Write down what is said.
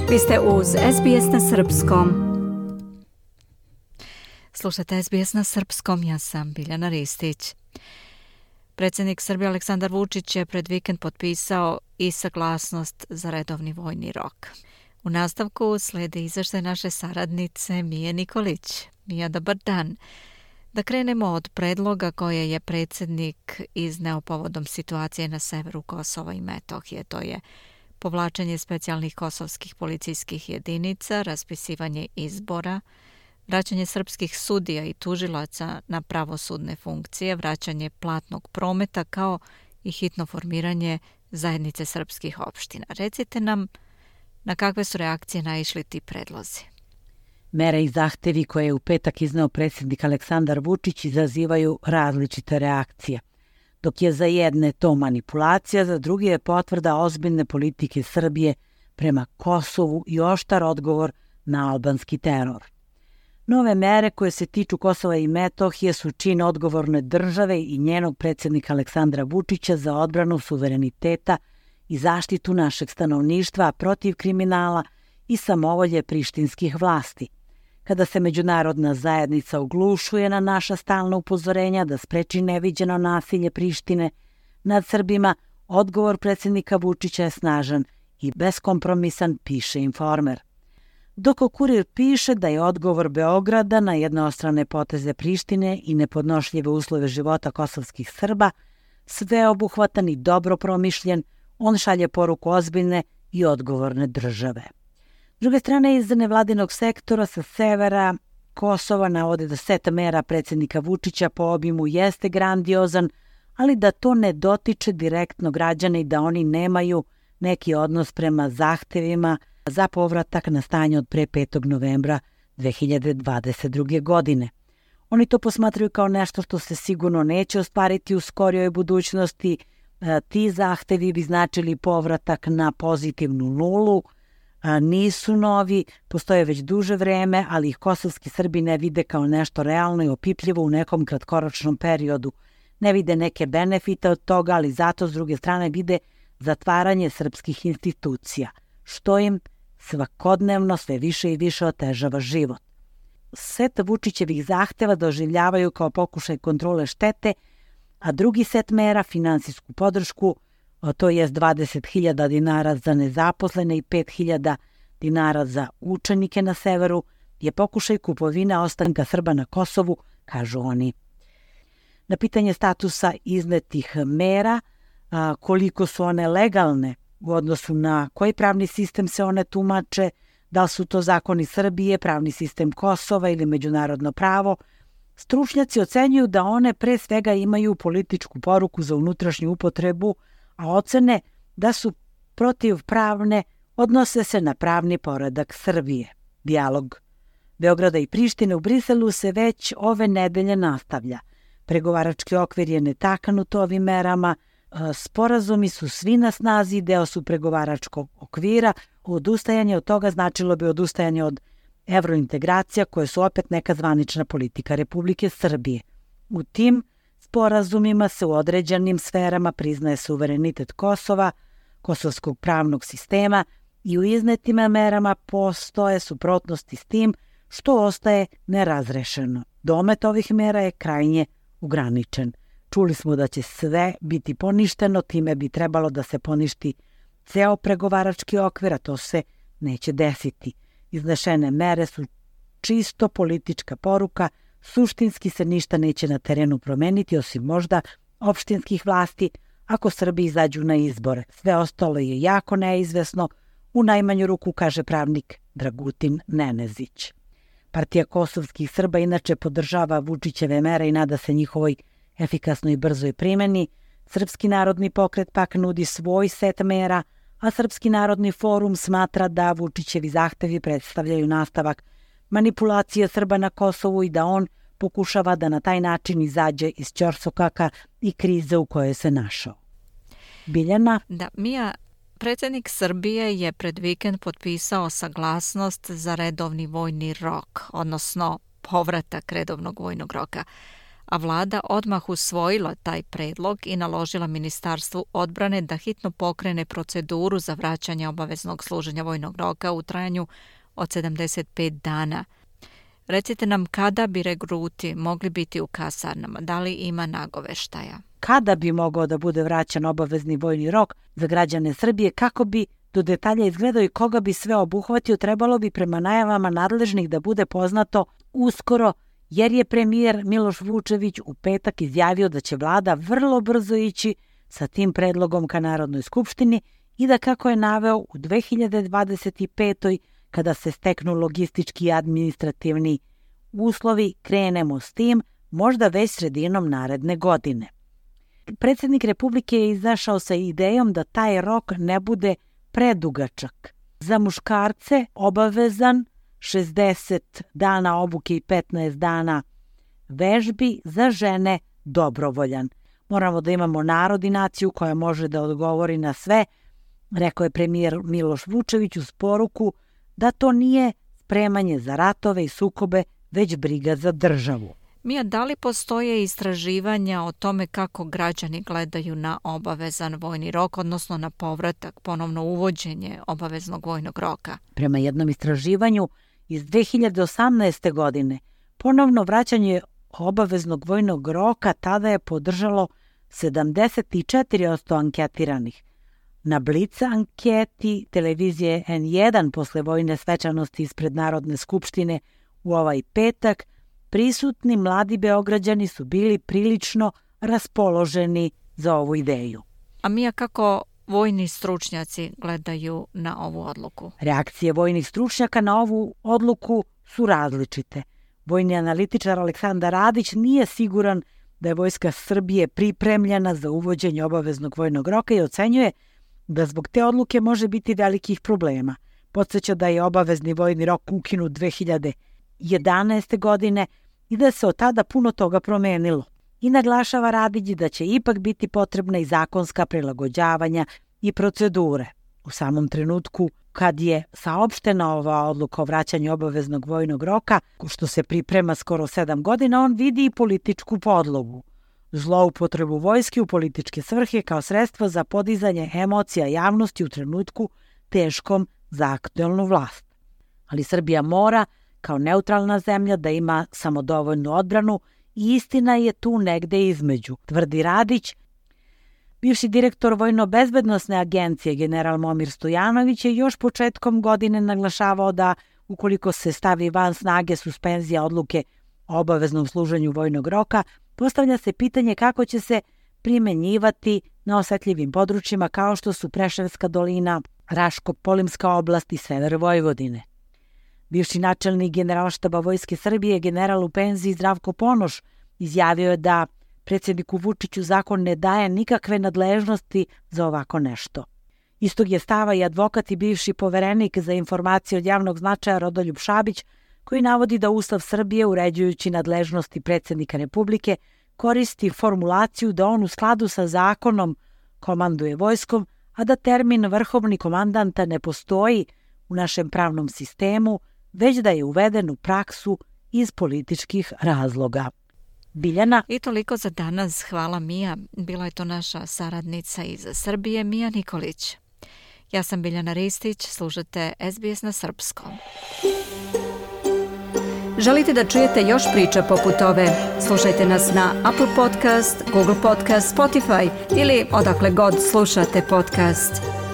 Vi ste uz SBS na Srpskom. Slušajte SBS na Srpskom, ja sam Biljana Ristić. Predsjednik Srbije Aleksandar Vučić je pred vikend potpisao i saglasnost za redovni vojni rok. U nastavku slijedi izvještaj naše saradnice Mije Nikolić. Mija, dobar dan. Da krenemo od predloga koje je predsjednik izneo povodom situacije na severu Kosova i Metohije. To je povlačenje specijalnih kosovskih policijskih jedinica, raspisivanje izbora, vraćanje srpskih sudija i tužilaca na pravosudne funkcije, vraćanje platnog prometa kao i hitno formiranje zajednice srpskih opština. Recite nam na kakve su reakcije naišli ti predlozi. Mere i zahtevi koje je u petak izneo predsjednik Aleksandar Vučić izazivaju različite reakcije. Dok je za jedne to manipulacija, za druge je potvrda ozbiljne politike Srbije prema Kosovu i oštar odgovor na albanski teror. Nove mere koje se tiču Kosova i Metohije su čin odgovorne države i njenog predsjednika Aleksandra Vučića za odbranu suvereniteta i zaštitu našeg stanovništva protiv kriminala i samovolje prištinskih vlasti. Kada se međunarodna zajednica oglušuje na naša stalna upozorenja da spreči neviđeno nasilje Prištine nad Srbima, odgovor predsjednika Vučića je snažan i beskompromisan, piše Informer. Dok Kurir piše da je odgovor Beograda na jednostrane poteze Prištine i nepodnošljive uslove života kosovskih Srba sveobuhvatan i dobro promišljen, on šalje poruku ozbiljne i odgovorne države. S druge strane, iz nevladinog sektora sa severa Kosova navode da set mera predsjednika Vučića po obimu jeste grandiozan, ali da to ne dotiče direktno građane i da oni nemaju neki odnos prema zahtevima za povratak na stanje od pre 5. novembra 2022. godine. Oni to posmatraju kao nešto što se sigurno neće ostvariti u skorijoj budućnosti. Ti zahtevi bi značili povratak na pozitivnu nulu, nisu novi, postoje već duže vreme, ali ih kosovski Srbi ne vide kao nešto realno i opipljivo u nekom kratkoročnom periodu. Ne vide neke benefite od toga, ali zato s druge strane vide zatvaranje srpskih institucija, što im svakodnevno sve više i više otežava život. Set Vučićevih zahteva doživljavaju kao pokušaj kontrole štete, a drugi set mera, finansijsku podršku, to je 20.000 dinara za nezaposlene i 5.000 dinara za učenike na severu, je pokušaj kupovine ostanka Srba na Kosovu, kažu oni. Na pitanje statusa iznetih mera, koliko su one legalne u odnosu na koji pravni sistem se one tumače, da li su to zakoni Srbije, pravni sistem Kosova ili međunarodno pravo, stručnjaci ocenjuju da one pre svega imaju političku poruku za unutrašnju upotrebu, a ocene da su protivpravne odnose se na pravni poredak Srbije. Dijalog Beograda i Prištine u Briselu se već ove nedelje nastavlja. Pregovarački okvir je netaknut ovim merama, sporazumi su svi na snazi, deo su pregovaračkog okvira, odustajanje od toga značilo bi odustajanje od evrointegracija koje su opet neka zvanična politika Republike Srbije. U tim sporazumima se u određenim sferama priznaje suverenitet Kosova, kosovskog pravnog sistema i u iznetim merama postoje suprotnosti s tim što ostaje nerazrešeno. Domet ovih mera je krajnje ograničen. Čuli smo da će sve biti poništeno, time bi trebalo da se poništi ceo pregovarački okvir, a to se neće desiti. Iznešene mere su čisto politička poruka, suštinski se ništa neće na terenu promeniti, osim možda opštinskih vlasti, ako Srbi izađu na izbore. Sve ostalo je jako neizvesno, u najmanju ruku, kaže pravnik Dragutin Nenezić. Partija kosovskih Srba inače podržava Vučićeve mere i nada se njihovoj efikasnoj i brzoj primjeni. Srpski narodni pokret pak nudi svoj set mera, a Srpski narodni forum smatra da Vučićevi zahtevi predstavljaju nastavak manipulacije Srba na Kosovu i da on pokušava da na taj način izađe iz ćorsokaka i krize u kojoj se našao. Biljana? Da, Mija, predsjednik Srbije je pred vikend potpisao saglasnost za redovni vojni rok, odnosno povratak redovnog vojnog roka. a vlada odmah usvojila taj predlog i naložila Ministarstvu odbrane da hitno pokrene proceduru za vraćanje obaveznog služenja vojnog roka u trajanju od 75 dana. Recite nam kada bi regruti mogli biti u kasarnama, da li ima nagoveštaja? Kada bi mogao da bude vraćan obavezni vojni rok za građane Srbije, kako bi do detalja izgledao i koga bi sve obuhvatio, trebalo bi prema najavama nadležnih da bude poznato uskoro, jer je premijer Miloš Vučević u petak izjavio da će vlada vrlo brzo ići sa tim predlogom ka Narodnoj skupštini i da, kako je naveo, u 2025. kada se steknu logistički i administrativni uslovi, krenemo s tim, možda već sredinom naredne godine. Predsjednik Republike je izašao sa idejom da taj rok ne bude predugačak. Za muškarce obavezan 60 dana obuke i 15 dana vežbi, za žene dobrovoljan. Moramo da imamo narod i naciju koja može da odgovori na sve, rekao je premijer Miloš Vučević uz poruku da to nije spremanje za ratove i sukobe, već briga za državu. Mija, da li postoje istraživanja o tome kako građani gledaju na obavezan vojni rok, odnosno na povratak, ponovno uvođenje obaveznog vojnog roka? Prema jednom istraživanju iz 2018. godine, ponovno vraćanje obaveznog vojnog roka tada je podržalo 74% anketiranih. Na Blic anketi televizije N1 posle vojne svečanosti ispred Narodne skupštine u ovaj petak, prisutni mladi Beograđani su bili prilično raspoloženi za ovu ideju. A Mija, kako vojni stručnjaci gledaju na ovu odluku? Reakcije vojnih stručnjaka na ovu odluku su različite. Vojni analitičar Aleksandar Radić nije siguran da je Vojska Srbije pripremljena za uvođenje obaveznog vojnog roka i ocenjuje da zbog te odluke može biti velikih problema. Podsjeća da je obavezni vojni rok ukinut 2011. godine i da se od tada puno toga promenilo. I naglašava Radić da će ipak biti potrebna i zakonska prilagođavanja i procedure. U samom trenutku kad je saopštena ova odluka o vraćanju obaveznog vojnog roka, što se priprema skoro 7 godina, on vidi i političku podlogu. Zloupotrebu vojske u političke svrhe kao sredstvo za podizanje emocija javnosti u trenutku teškom za aktuelnu vlast. Ali Srbija mora, kao neutralna zemlja, da ima samodovoljnu odbranu i istina je tu negde između, tvrdi Radić. Bivši direktor Vojno-bezbednosne agencije general Momir Stojanović je još početkom godine naglašavao da ukoliko se stavi van snage suspenzija odluke o obaveznom služenju vojnog roka, postavlja se pitanje kako će se primenjivati na osetljivim područjima kao što su Preševska dolina, Raško-Polimska oblast i sever Vojvodine. Bivši načelnik Generalštaba Vojske Srbije, general u penziji Zdravko Ponoš, izjavio je da predsjedniku Vučiću zakon ne daje nikakve nadležnosti za ovako nešto. Istog je stava i advokat i bivši poverenik za informacije od javnog značaja Rodoljub Šabić, koji navodi da Ustav Srbije, uređujući nadležnosti predsjednika Republike, koristi formulaciju da on u skladu sa zakonom komanduje vojskom, a da termin vrhovni komandanta ne postoji u našem pravnom sistemu, već da je uveden u praksu iz političkih razloga. Biljana. I toliko za danas. Hvala, Mija. Bila je to naša saradnica iz Srbije, Mija Nikolić. Ja sam Biljana Ristić, slušate SBS na srpskom. Želite da čujete još priča poput ove? Slušajte nas na Apple Podcast, Google Podcast, Spotify ili odakle god slušate podcast.